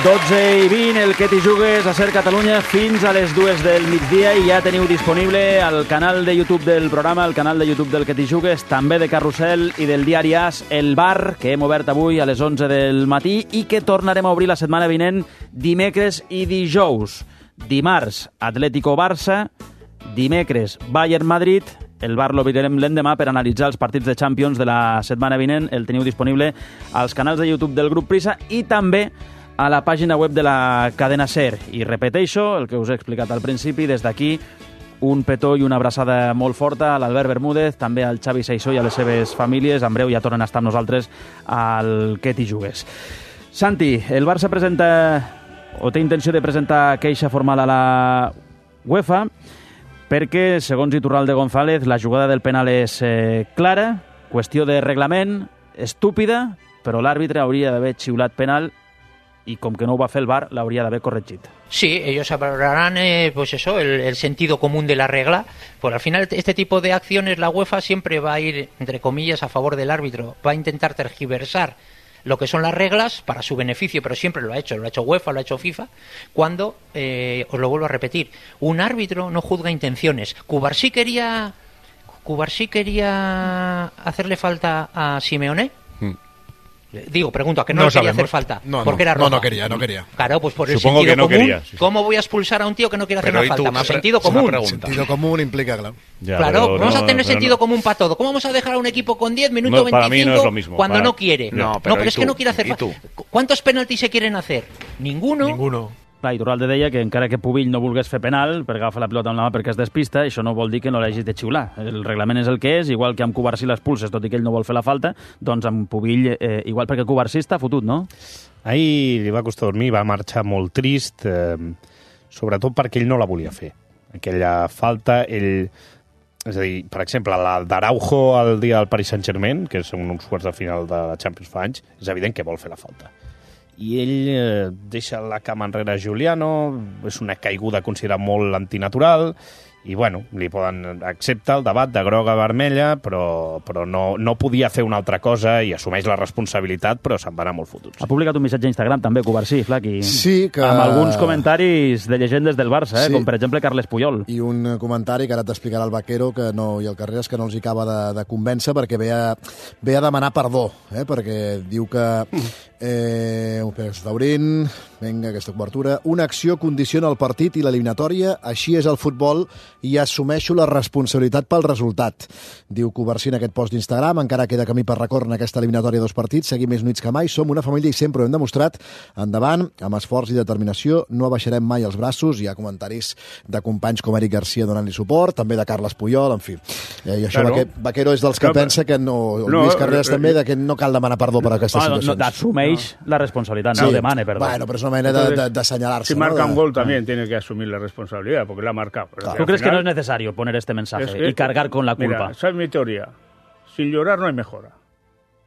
12:20, el que t'hi jugues a Ser Catalunya fins a les 2 del migdia i ja teniu disponible al canal de YouTube del programa, el canal de YouTube del que t'hi jugues, també de Carrusel i del diari AS, el bar, que hem obert avui a les 11 del matí i que tornarem a obrir la setmana vinent dimecres i dijous. Dimarts, Atlético-Barça, dimecres, Bayern-Madrid, el bar l'obrirem l'endemà per analitzar els partits de Champions de la setmana vinent, el teniu disponible als canals de YouTube del grup Prisa i també a la pàgina web de la cadena SER. I repeteixo el que us he explicat al principi, des d'aquí un petó i una abraçada molt forta a l'Albert Bermúdez, també al Xavi Saissó i a les seves famílies. En breu ja tornen a estar amb nosaltres al que t'hi jugues. Santi, el Barça presenta o té intenció de presentar queixa formal a la UEFA perquè, segons Iturralde González, la jugada del penal és clara, qüestió de reglament, estúpida, però l'àrbitre hauria d'haver xiulat penal y como que no va a hacer el VAR, la habría de haber corregido. Sí, ellos hablarán, pues eso, el sentido común de la regla. Pues al final este tipo de acciones la UEFA siempre va a ir, entre comillas, a favor del árbitro. Va a intentar tergiversar lo que son las reglas para su beneficio, pero siempre lo ha hecho UEFA, lo ha hecho FIFA, cuando, os lo vuelvo a repetir, un árbitro no juzga intenciones. Cubarsí quería hacerle falta a Simeone. Digo, pregunto, ¿a qué no quería hacer falta? Porque era roja. No quería. Claro, pues por Supongo el sentido que no común. quería, sí. ¿Cómo voy a expulsar a un tío que no quiere hacer una falta? Por sentido común. Sentido común implica, claro. Ya, Claro, vamos a tener sentido común para todo. ¿Cómo vamos a dejar a un equipo con 10 minutos 25 para mí no es lo mismo, cuando no quiere? No, pero es que no quiere hacer falta. ¿Cuántos penaltis se quieren hacer? Ninguno. Clar, Iturralde deia que encara que Pubill no volgués fer penal per agafar la pilota amb la mà perquè es despista, això no vol dir que no l'hagis de xiular. El reglament és el que és, igual que amb Cubarsí l'expulses, tot i que ell no vol fer la falta, doncs amb Pubill igual, perquè Cubarsí està fotut, no? Ahir li va costar dormir, va marxar molt trist, sobretot perquè ell no la volia fer. Aquella falta, ell... És a dir, per exemple, la d'Araujo el dia del Paris Saint-Germain, que són uns quarts de final de la Champions fa anys, és evident que vol fer la falta. I ell deixa la cama enrere a Giuliano, és una caiguda considerada molt antinatural, i bueno, li poden acceptar el debat de groga a vermella, però no podia fer una altra cosa i assumeix la responsabilitat, però se'n va anar molt fotuts. Ha publicat un missatge a Instagram també, Cubarsí, Flaqui, sí, que... amb alguns comentaris de llegendes del Barça, sí. Com per exemple Carles Puyol. I un comentari que ara t'explicarà el Vaquero que no, i el Carreras, que no els hi acaba de convèncer perquè ve a demanar perdó, perquè diu que està obrint, vinga, aquesta cobertura, una acció condiciona el partit i l'eliminatòria, així és el futbol i assumeixo la responsabilitat pel resultat. Diu Cubarsí en aquest post d'Instagram, encara queda camí per recórrer en aquesta eliminatòria de 2 partits, seguim més units que mai, som una família i sempre ho hem demostrat, endavant, amb esforç i determinació, no abaixarem mai els braços, hi ha comentaris de companys com Eric Garcia donant-li suport, també de Carles Puyol, en fi. I això claro. Vaquero és dels que pensa que no, Luis Carreras també, de que no cal demanar perdó per aquestes situacions. Assumeix la responsabilitat, no demane perdó. Bueno, pero es una manera de señalarse. Si marca un gol también tiene que asumir la responsabilidad, porque la ha marcado. Claro. ¿Tú crees que no es necesario poner este mensaje y cargar con la culpa? Mira, ¿sabes mi teoría? Sin llorar no hay mejora.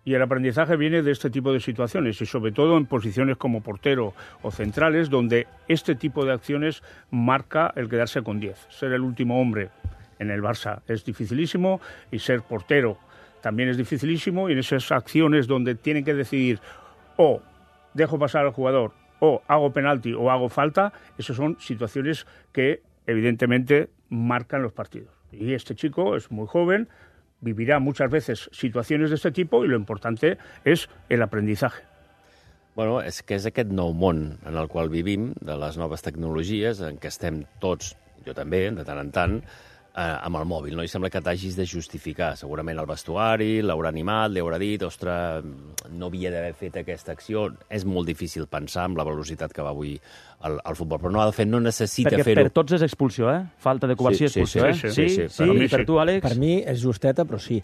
Y el aprendizaje viene de este tipo de situaciones y sobre todo en posiciones como portero o centrales donde este tipo de acciones marca el quedarse con 10. Ser el último hombre en el Barça es dificilísimo y ser portero también es dificilísimo y en esas acciones donde tienen que decidir o dejo pasar al jugador o hago penalti o hago falta, esas son situaciones que evidentemente marcan los partidos. Y este chico es muy joven, vivirá muchas veces situaciones de este tipo y lo importante és el aprendizaje. Bueno, és que és aquest nou món en el qual vivim, de les noves tecnologies, en què estem tots, jo també, de tant en tant, amb el mòbil, no? I sembla que t'hagis de justificar. Segurament el vestuari l'haurà animat, li haurà dit, ostres, no havia d'haver fet aquesta acció. És molt difícil pensar amb la velocitat que va avui el futbol, però no ha de fer, no necessita fer-ho. Perquè per tots és expulsió, Falta de Cubarsí, expulsió, Sí. I per tu, Àlex? Per mi és justeta, però sí.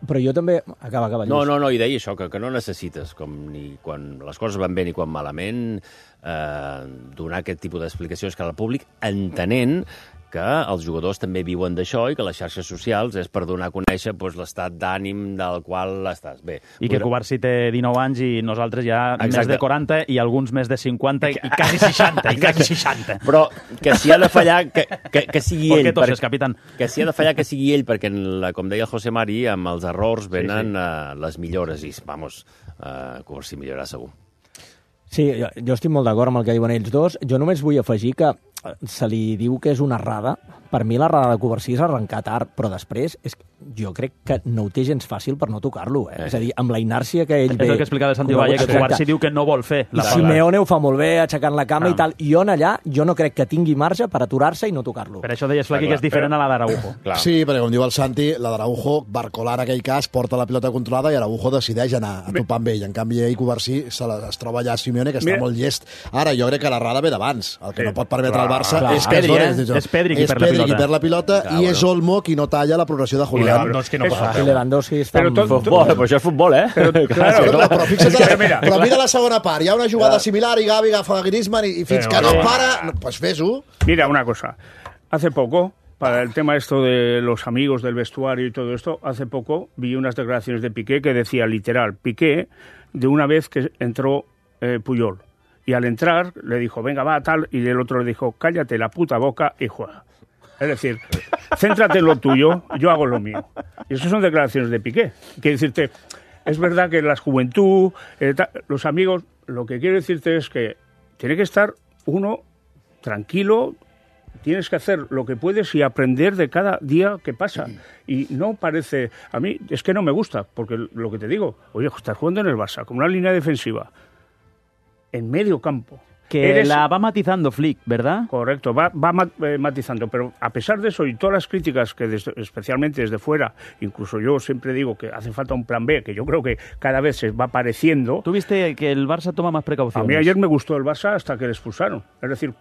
Però jo també... Acaba, No, i deia això, que no necessites, com ni quan les coses van bé ni quan malament, donar aquest tipus d'explicacions que al públic, entenent que els jugadors també viuen d'això i que les xarxes socials és per donar a conèixer l'estat d'ànim del qual estàs. Bé, I que Cubarsí té 19 anys i nosaltres ja més de 40 i alguns més de 50 i quasi 60. Però que si ha de fallar, que sigui ell. Que si ha de fallar, que sigui ell, perquè, com deia el José Mari, amb els errors venen les millores i, Cubarsí millorarà segur. Sí, jo estic molt d'acord amb el que diuen ells dos. Jo només vull afegir que se li diu que és una errada. Per mi l'errada de Covarsí és arrencar tard, però després jo crec que no ho té gens fàcil per no tocar-lo. És a dir, amb la inèrcia que ell ve... És el que explicava el Santi Valle, que Covarsí diu que no vol fer. I Simeone ho fa molt bé, aixecant la cama i tal. I on allà jo no crec que tingui marge per aturar-se i no tocar-lo. Per això deies, Flaqui, que és diferent a la d'Araujo. Sí, perquè com diu el Santi, la d'Araujo, Barcolà en aquell cas, porta la pilota controlada i Araujo decideix anar a topar amb ell. En canvi, ell, Covarsí, es troba allà a Simeone, que està molt llest. Ara, jo crec que l'errada ve d'abans. El que no pot permetre al Barça és que és Pedri qui perd la pilota. I és Olmo qui no talla la progressió de Julián. I Lewandowski està en futbol. Però això és futbol, eh? Però fixa't, però mira la segona part. Hi ha una jugada similar i Gavi agafa a Griezmann i fins que no para, pues fes-ho. Mira, una cosa. Hace poco, para el tema esto de los amigos del vestuario y todo esto, hace poco vi unas declaraciones de Piqué que decía literal, Piqué, de una vez que entró Puyol. Y al entrar le dijo, venga, va, tal, y el otro le dijo, cállate la puta boca y juega. Es decir, céntrate en lo tuyo, yo hago lo mío. Y esas son declaraciones de Piqué. Quiero decirte, es verdad que la juventud, los amigos, lo que quiero decirte es que tiene que estar uno tranquilo, tienes que hacer lo que puedes y aprender de cada día que pasa. Y no parece, a mí es que no me gusta, porque lo que te digo, oye, estás jugando en el Barça, con una línea defensiva, en medio campo. Que la va matizando Flick, ¿verdad? Correcto, va matizando, pero a pesar de eso y todas las críticas que especialmente desde fuera, incluso yo siempre digo que hace falta un plan B, que yo creo que cada vez se va apareciendo. ¿Tú viste que el Barça toma más precauciones? A mí ayer me gustó el Barça hasta que le expulsaron. Es decir,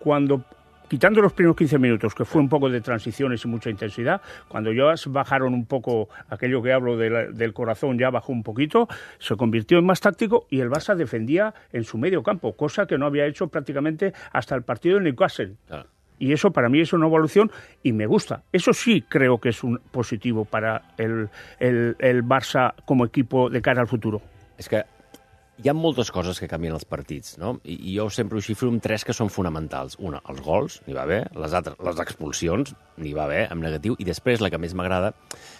quitando los primeros 15 minutos, que fue un poco de transiciones y mucha intensidad, cuando ya bajaron un poco, aquello que hablo del corazón ya bajó un poquito, se convirtió en más táctico y el Barça defendía en su medio campo, cosa que no había hecho prácticamente hasta el partido de Newcastle. Claro. Y eso para mí es una evolución y me gusta. Eso sí creo que es un positivo para el Barça como equipo de cara al futuro. És que hi ha moltes coses que canvien els partits, no? I jo sempre ho xifro amb 3 que són fonamentals. Una, els gols, n'hi va bé. Les expulsions, n'hi va bé, en negatiu. I després, la que més m'agrada,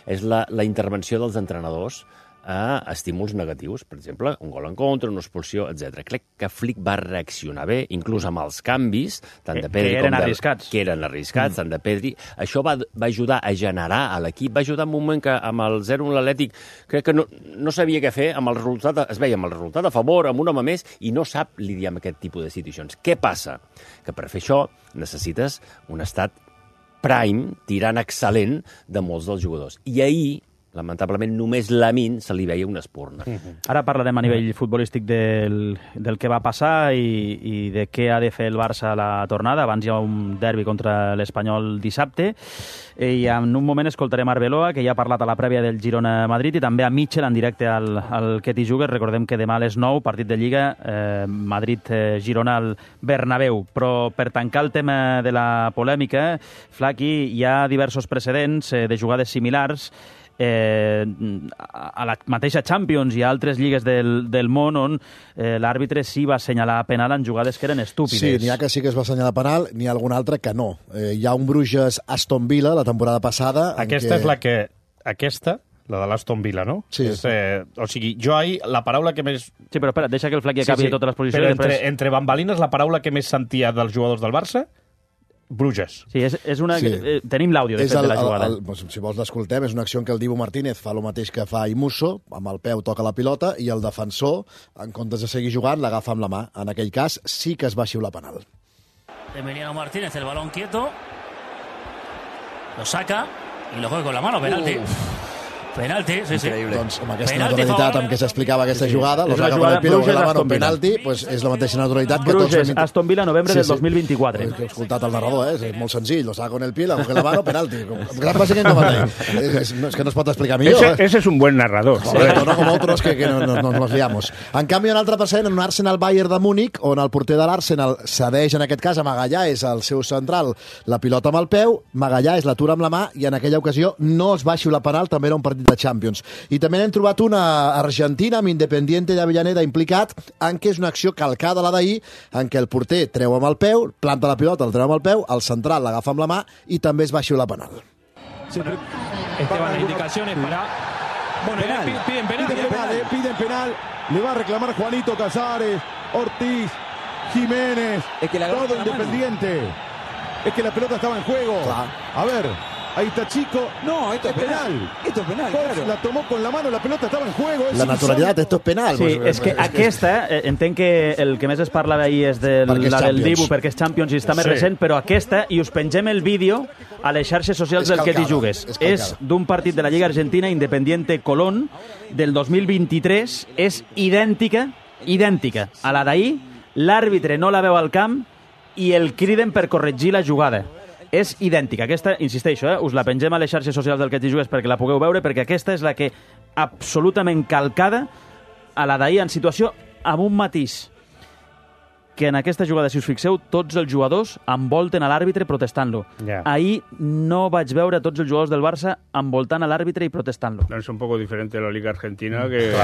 és la intervenció dels entrenadors a estímuls negatius. Per exemple, un gol en contra, una expulsió, etc. Crec que Flick va reaccionar bé, inclús amb els canvis, tant de Pedri que eren arriscats. Que eren arriscats, tant de Pedri. Això va ajudar a generar a l'equip, va ajudar en un moment que amb el 0-1 l'Atlètic crec que no sabia què fer, amb el resultat, es veia amb el resultat a favor, amb un home més, i no sap lidiar amb aquest tipus de situacions. Què passa? Que per fer això necessites un estat prime, tirant excel·lent de molts dels jugadors. I ahir, lamentablement, només Lamine se li veia una espurna. Ara parlarem a nivell futbolístic del que va passar i de què ha de fer el Barça a la tornada. Abans hi ha un derbi contra l'Espanyol dissabte i en un moment escoltarem Arbeloa, que ja ha parlat a la prèvia del Girona-Madrid, i també a Mitchell en directe al Ketty Jugues. Recordem que demà a les 9, partit de Lliga, Madrid-Girona al Bernabéu. Però per tancar el tema de la polèmica, Flaqui, hi ha diversos precedents de jugades similars a la mateixa Champions i a altres lligues del món on l'àrbitre sí va assenyalar penal en jugades que eren estúpides. Sí, n'hi ha que sí que es va assenyalar penal, n'hi ha algun altre que no. Hi ha un Bruges-Aston Villa la temporada passada... Aquesta és la que... Aquesta, la de l'Aston Villa, no? Sí. O sigui, jo ahir, la paraula que més... Sí, però espera, deixa que el Flaqui acabi totes les posicions. Però entre bambalines, la paraula que més sentia dels jugadors del Barça... Bruges. Sí, és una... Sí. Tenim l'àudio, de fet, de la jugada. Si vols l'escoltem, és una acció en què el Dibu Martínez fa el mateix que fa Imusso, amb el peu toca la pilota, i el defensor, en comptes de seguir jugant, l'agafa amb la mà. En aquell cas, sí que es va xiular penal. Emiliano Martínez, el balón quieto, lo saca y lo juega con la mano, penalti. Penalti, sí, increïble. Doncs amb aquesta naturalitat amb què s'explicava aquesta jugada, lo saca con el pie, con la mano, penalti, pues és la mateixa naturalitat que tots... Bruges, Aston Villa, novembre del 2024. He escoltat el narrador, és molt senzill, lo saca con el pie, lo coge la mano, penalti. Básicamente no vale. Es que no es pot explicar millor. Ese es un buen narrador. Correcto, no como otros que nos liamos. En canvi, un altre precedent, en un Arsenal-Bayern de Múnich, on el porter de l'Arsenal cedeix, en aquest cas, a Magallà, és el seu central, la pilota amb el peu, Magallà és l'atura amb la mà, i en aquella ocasió no es va xiular penal, també era un partit de Champions. I també n'hem trobat una argentina amb Independiente de Avellaneda implicat, en què és una acció calcada a la d'ahir, en què el porter treu amb el peu, planta la pilota, el treu amb el peu, el central l'agafa amb la mà i també es va xiular penal. Esteban, la indicación es para... Bueno, piden penal. Piden penal. Le va a reclamar Juanito Casares, Ortiz. Jiménez, Es que la agarró todo con la mano. Independiente. Es que la pelota estaba en juego. A ver, ahí está Chico. No, esto es penal. Esto es penal, Fox claro. la tomó con la mano, la pelota estava en juego. La naturalitat, esto és penal. Sí, és que aquesta, entenc que el que més es parla d'ahir és Perquè és la del Champions. Dibu, perquè és Champions i està més Sí. recent, però aquesta, i us pengem el vídeo a les xarxes socials És del que t'hi calcada, jugues. és calcada. És d'un partit de la Lliga Argentina, Independiente Colón, del 2023, és idèntica a la d'ahir, l'àrbitre no la veu al camp i el criden per corregir la jugada. És idèntica. Aquesta, insisteixo, us la pengem a les xarxes socials del que t'hi jugues perquè la pugueu veure, perquè aquesta és la que absolutament calcada a la d'ahir en situació amb un matís. Que en aquesta jugada, si us fixeu, tots els jugadors envolten a l'àrbitre protestant-lo. Ja. Ahir no vaig veure tots els jugadors del Barça envoltant a l'àrbitre i protestant-lo. No, es un poco diferente la Liga Argentina que...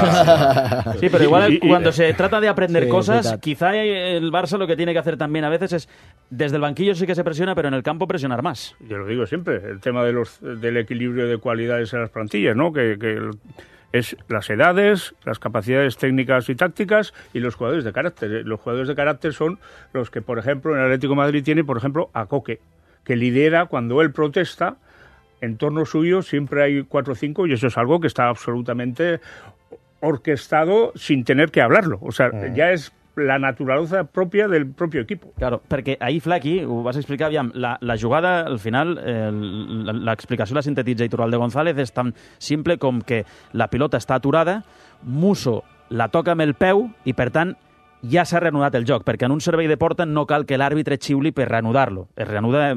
Sí, pero igual cuando se trata de aprender Sí, cosas, verdad. quizá el Barça lo que tiene que hacer también a veces es, desde el banquillo sí que se presiona, pero en el campo presionar más. Yo lo digo siempre, el tema del equilibrio de cualidades en las plantillas, ¿no? Que es las edades, las capacidades técnicas y tácticas y los jugadores de carácter. Los jugadores de carácter son los que, por ejemplo, en el Atlético de Madrid tiene, por ejemplo, a Coque, que lidera cuando él protesta. En torno suyo siempre hay 4 o 5 y eso es algo que está absolutamente orquestado sin tener que hablarlo. O sea, ya es la naturaleza propia del propio equipo. Claro, perquè ahir, Flaqui, ho vas explicar, aviam, la jugada, al final, l'explicació la sintetitza Iturralde González, és tan simple com que la pilota està aturada, Musso la toca amb el peu i, per tant, ja s'ha reanudat el joc, perquè en un servei de porta no cal que l'àrbitre xiuli per reanudar-lo. Es reanuda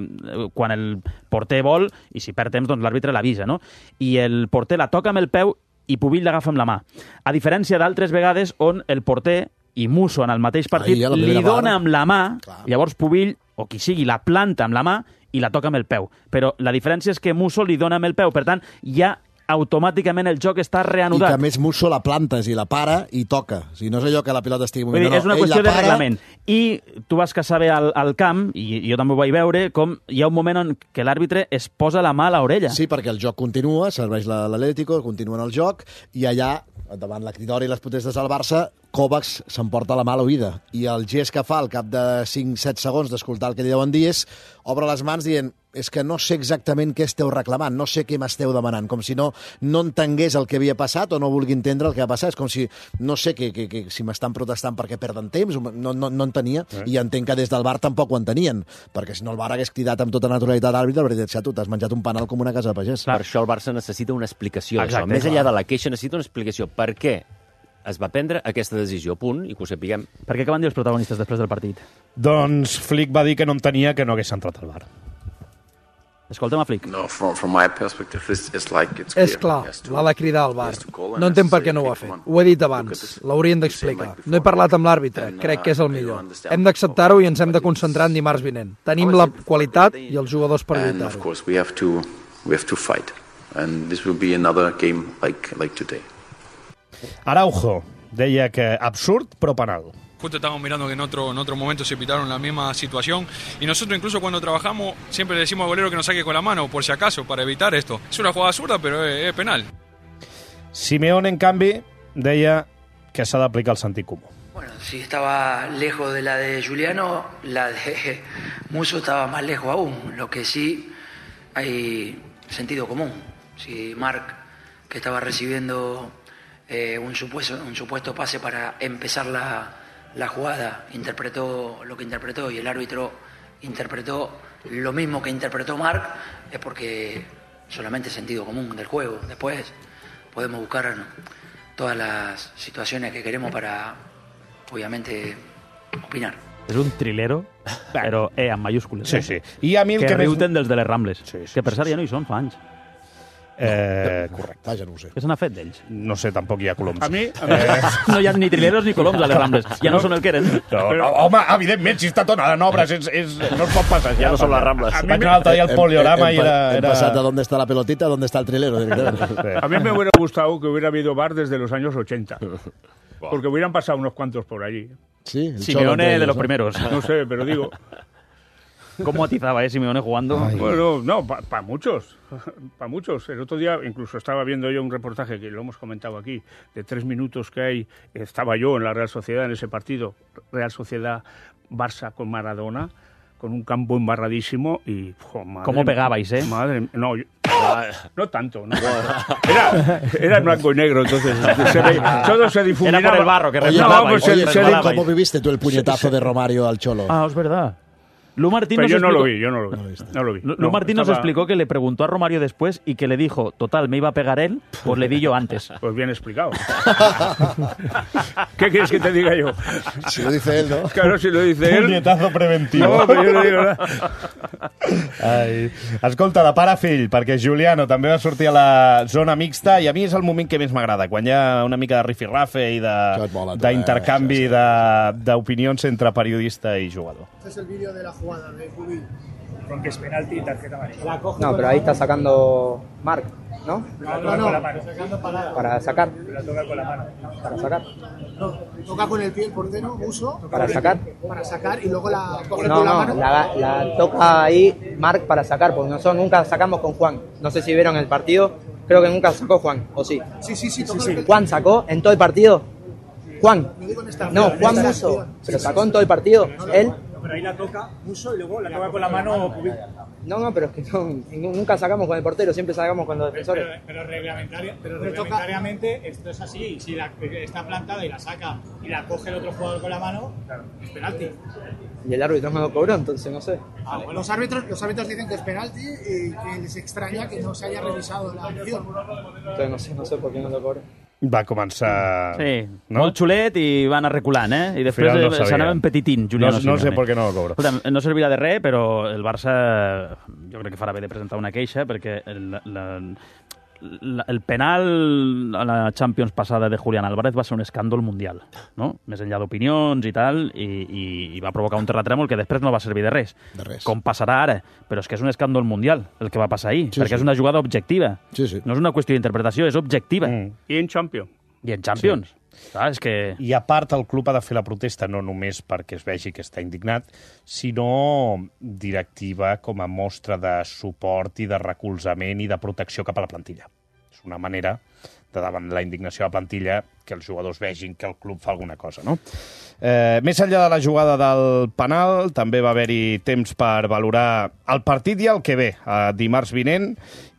quan el porter vol i si perd temps, doncs l'àrbitre l'avisa, no? I el porter la toca amb el peu i Pubill l'agafa amb la mà. A diferència d'altres vegades on el porter i Musso en el mateix partit Ahir, a la li primera dona part. amb la mà, Clar. llavors Pubill, o qui sigui, la planta amb la mà i la toca amb el peu. Però la diferència és que Musso li dona amb el peu, per tant, ja automàticament el joc està I que reanudat. a més Musso la plantes i la para i toca. O sigui, no és allò que la pilota estigui Vull dir, movint. és una ell qüestió la de para. reglament. I tu vas que saber al camp, i jo també ho vaig veure, com hi ha un moment en què l'àrbitre es posa la mà a l'orella. Sí, perquè el joc continua, serveix l'Atlético, continua en el joc, i allà, davant la cridòria i les protestes del Barça, Kovacs s'emporta la mà a l'oïda. I el gest que fa al cap de 5-7 segons d'escoltar el que li deuen dir és obre les mans dient és que no sé exactament què esteu reclamant, no sé què m'esteu demanant, com si no entengués el que havia passat o no vulgui entendre el que ha passat. És com si, no sé, que si m'estan protestant perquè perden temps, no entenia, i entenc que des del bar tampoc ho entenien, perquè si no el bar hagués cridat amb tota naturalitat l'àrbitre, perquè tu t'has menjat un penal com una casa de pagès. Per això el Barça necessita una explicació. Exacte, Això. Més enllà de la queixa, necessita una explicació. Per què es va prendre aquesta decisió? Punt, i que ho sapiguem. Per què van dir els protagonistes després del partit? Doncs Flick va dir que no entenia que no hagués entrat al bar. Escolta'm a Flick. No, from my perspective, it's like it's És clear. clar, He has to- l'ha de cridar al bar. he has to call and No has to entenc per say, què no ho "Okay, ha fet. come on, Ho he dit look at abans, this." l'haurien Same d'explicar. like before. No he parlat amb l'àrbitre, And, crec que és el I millor. don't understand Hem d'acceptar-ho i ens hem de what concentrar en dimarts vinent. Tenim la qualitat i els jugadors per And of lluitar-ho. course, we have to fight, and this will be another game like today. Araujo deia que absurd, però penal. Justo estamos mirando que en otro momento se pitaron la misma situación y nosotros incluso cuando trabajamos siempre le decimos al golero que nos saque con la mano por si acaso, para evitar esto. Es una jugada absurda, pero es penal. Simeone, en canvi, deia que s'ha d'aplicar el sentit comú. Bueno, si estaba lejos de la de Juliano, la de Musso estaba más lejos aún. Lo que sí hay sentido común. Si Marc, que estaba recibiendo un supuesto pase para empezar la jugada, interpretó lo que interpretó y el árbitro interpretó lo mismo que interpretó Marc, es porque solamente sentido común del juego. Después podemos buscar todas las situaciones que queremos para, obviamente, opinar. És un trilero, però amb mayúscules. Sí, sí. I a mi el que que més- riuten dels de les Rambles. Sí, sí, que per sí, cert ja no hi són fa anys. Correcte. Vaja, no ho sé. Què se n'ha fet d'ells? No sé, tampoc hi ha coloms. A mi, No hi ha ni trileros ni coloms a les Rambles. Ja no són el que eren. No, home, evidentment, si està tonada en obres, no es pot passar. Ja no són les Rambles. A mi Vaig anar l'altre dia al poliorama i Hem era... passat de dónde está la pelotita a dónde está el trilero. directamente. a mí me hubiera gustado que hubiera habido bar desde los años 80. Porque hubieran pasado unos cuantos por allí. Sí, el Cholo Simeone entre de ellos, los ¿no? primeros. No sé, pero digo... ¿Cómo atizaba, Simeone jugando? Bueno, no, para muchos. Para muchos. El otro día incluso estaba viendo yo un reportaje, que lo hemos comentado aquí, de 3 minutos que hay. Estaba yo en la Real Sociedad en ese partido. Real Sociedad Barça con Maradona, con un campo embarradísimo y... ¿Cómo pegabais, eh? Madre mía, no tanto. No. Era en blanco y negro, entonces todo se difuminaba. Era por el barro que resbalabais. ¿Cómo viviste tú el puñetazo de Romario al Cholo? Ah, es verdad. Lu Martín Pero nos yo explicó... no lo vi. Lu Martín nos explicó que le preguntó a Romario después y que le dijo, total, me iba a pegar él, pues le di yo antes. Pues bien explicado. ¿Qué quieres que te diga yo? Si lo dice él, ¿no? Claro, si lo dice él. Punyetazo preventiu. No, però jo no dic res. Ai. Escolta, de pare a fill, perquè Giuliano també va sortir a la zona mixta i a mi és el moment que més m'agrada, quan hi ha una mica de rifirrafe i d'intercanvi d'opinions entre periodista i jugador. Este es el vídeo de la jugada de Cubil. Con que es penalti y tarjeta amarilla. No, pero ahí está sacando Marc, ¿no? Para sacar. Para sacar. La toca con la mano. Para sacar. No, toca con el pie el portero, Muso. Para sacar. Para sacar y luego la coge No, con la no, mano. la toca ahí Marc para sacar, porque nosotros nunca sacamos con Juan. No sé si vieron el partido, creo que nunca sacó Juan, ¿o sí? Sí. ¿Juan sacó en todo el partido? ¿Juan? No, Juan esta Muso. acción. ¿Pero sacó en todo el partido? ¿Él? Pero ahí la toca Muso y luego la toca con la mano Cubil. No, pero es que nunca sacamos con el portero, siempre sacamos con los defensores. Pero reglamentariamente esto es así. Si está plantada y la saca y la coge el otro jugador con la mano, es penalti. Y el árbitro no lo cobró, entonces no sé. Bueno, los árbitros dicen que es penalti y que les extraña que no se haya revisado la acción. Entonces no sé por qué no lo cobró. Va començar... Sí, no? Molt xulet i va anar reculant, eh? I després s'anava empetitint, Juliano No sé per què no lo cobro. Escolta, no servirà de res, però el Barça jo crec que farà bé de presentar una queixa, perquè el penal a la Champions passada de Julián Álvarez va ser un escàndol mundial, no? Més enllà d'opinions i tal, i va provocar un terratrèmol que després no va servir de res. Com passarà ara. Però és que és un escàndol mundial el que va passar ahir, perquè és una jugada objectiva. No és una qüestió d'interpretació, és objectiva. I en Champions. Clar, és que... I a part, el club ha de fer la protesta no només perquè es vegi que està indignat, sinó directiva com a mostra de suport i de recolzament i de protecció cap a la plantilla. És una manera de, davant la indignació de la plantilla, que els jugadors vegin que el club fa alguna cosa, no? Més enllà de la jugada del penal, també va haver-hi temps per valorar el partit i el que ve, dimarts vinent,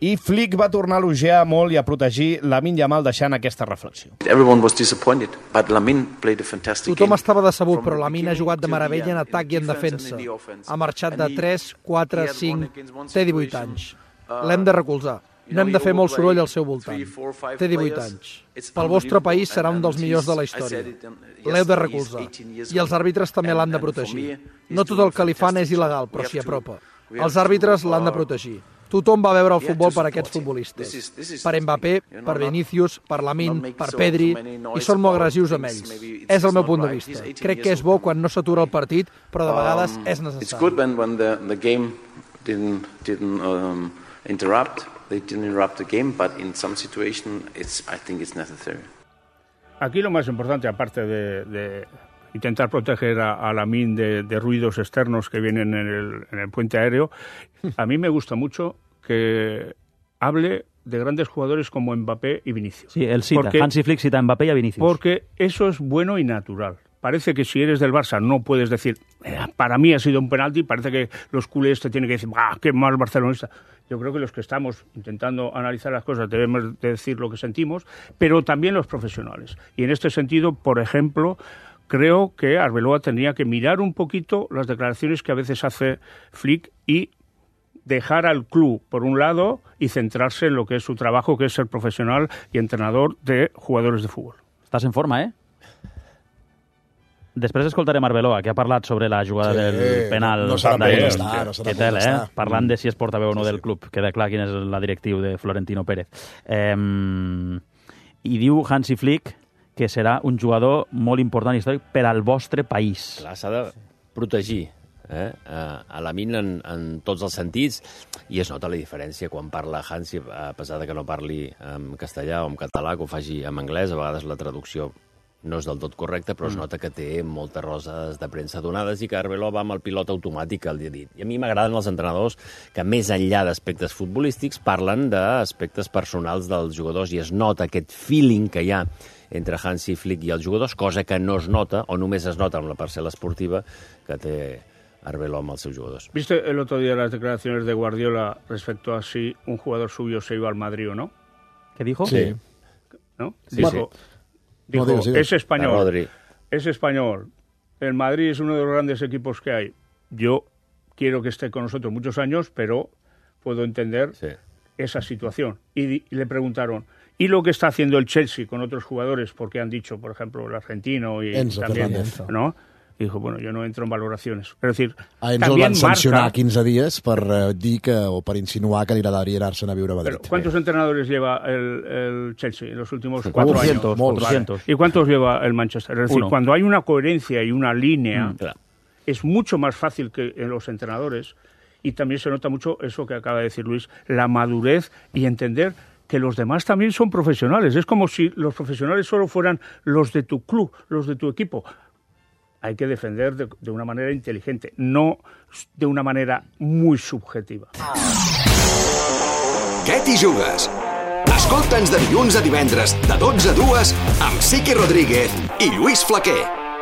i Flick va tornar a elogiar molt i a protegir Lamine Yamal deixant aquesta reflexió. Everyone was disappointed, but Lamine played a fantastic game. Tothom estava decebut, però Lamine ha jugat de meravella en atac i en defensa. Ha marxat de 3, 4, 5, té 18 anys. L'hem de recolzar. No hem de fer molt soroll al seu voltant. Té 18 anys. Pel vostre país serà un dels millors de la història. L'heu de recolzar. I els àrbitres també l'han de protegir. No tot el que li fan és il·legal, però s'hi apropa. Els àrbitres l'han de protegir. Tothom va veure el futbol per aquests futbolistes. Per Mbappé, per Vinícius, per Lamine, per Pedri, i són molt agressius amb ells. És el meu punt de vista. Crec que és bo quan no s'atura el partit, però de vegades és necessari. It's good when the game didn't interrupt. They didn't interrupt the game, but in some situation, I think it's necessary. Aquí lo más importante, aparte de intentar proteger a Lamine de ruidos externos que vienen en el puente aéreo, a mí me gusta mucho que hable de grandes jugadores como Mbappé y Vinicius. Sí, él cita, Hansi Flick cita a Mbappé y a Vinicius. Porque eso es bueno y natural. Parece que si eres del Barça no puedes decir, para mí ha sido un penalti, parece que los culés te tienen que decir, qué mal barcelonista. Yo creo que los que estamos intentando analizar las cosas debemos decir lo que sentimos, pero también los profesionales. Y en este sentido, por ejemplo, creo que Arbeloa tendría que mirar un poquito las declaraciones que a veces hace Flick y dejar al club por un lado y centrarse en lo que es su trabajo, que es ser profesional y entrenador de jugadores de fútbol. Estás en forma, eh? Després escoltarem Arbeloa, que ha parlat sobre la jugada del penal. No serà Què tal, parlant de si es portaveu o no del club. Queda clar quin és la directiu de Florentino Pérez. I diu Hansi Flick que serà un jugador molt important i històric per al vostre país. Clar, s'ha de protegir a Lamine en tots els sentits, i es nota la diferència quan parla Hansi, a pesar de que no parli en castellà o en català, que ho faci en anglès. A vegades la traducció no és del tot correcte, però es nota que té moltes roses de premsa donades i que Arbeloa va amb el pilot automàtic al dia dit. I a mi m'agraden els entrenadors que, més enllà d'aspectes futbolístics, parlen d'aspectes personals dels jugadors i es nota aquest feeling que hi ha entre Hansi Flick i els jugadors, cosa que no es nota, o només es nota amb la parcel·la esportiva que té Arbeloa amb els seus jugadors. ¿Viste el otro día las declaraciones de Guardiola respecto a si un jugador suyo se iba al Madrid o no? ¿Qué dijo? Sí. ¿No? Dijo, es español. Es español. El Madrid es uno de los grandes equipos que hay. Yo quiero que esté con nosotros muchos años, pero puedo entender esa situación. Y le preguntaron, ¿y lo que está haciendo el Chelsea con otros jugadores? Porque han dicho, por ejemplo, el argentino y Enzo también, Fernández. ¿no? Y dijo, bueno, yo no entro en valoraciones. Es decir, a Enzo el van sancionar 15 dies per dir que, o per insinuar que li agradaria anar-se'n a viure a Madrid. Pero, ¿cuántos entrenadores lleva el Chelsea en los últimos 4 años? 400. ¿Y cuántos lleva el Manchester? Es decir, cuando hay una coherencia y una línea, es mucho más fácil que en los entrenadores, y también se nota mucho eso que acaba de decir Luis, la madurez y entender que los demás también son profesionales. Es como si los profesionales solo fueran los de tu club, los de tu equipo. Hay que defender de una manera inteligente, no de una manera muy subjetiva. Què t'hi jugues? Escolta'ns de dilluns a divendres, de 12 a 2, amb Siqui Rodríguez i Lluís Flaquer.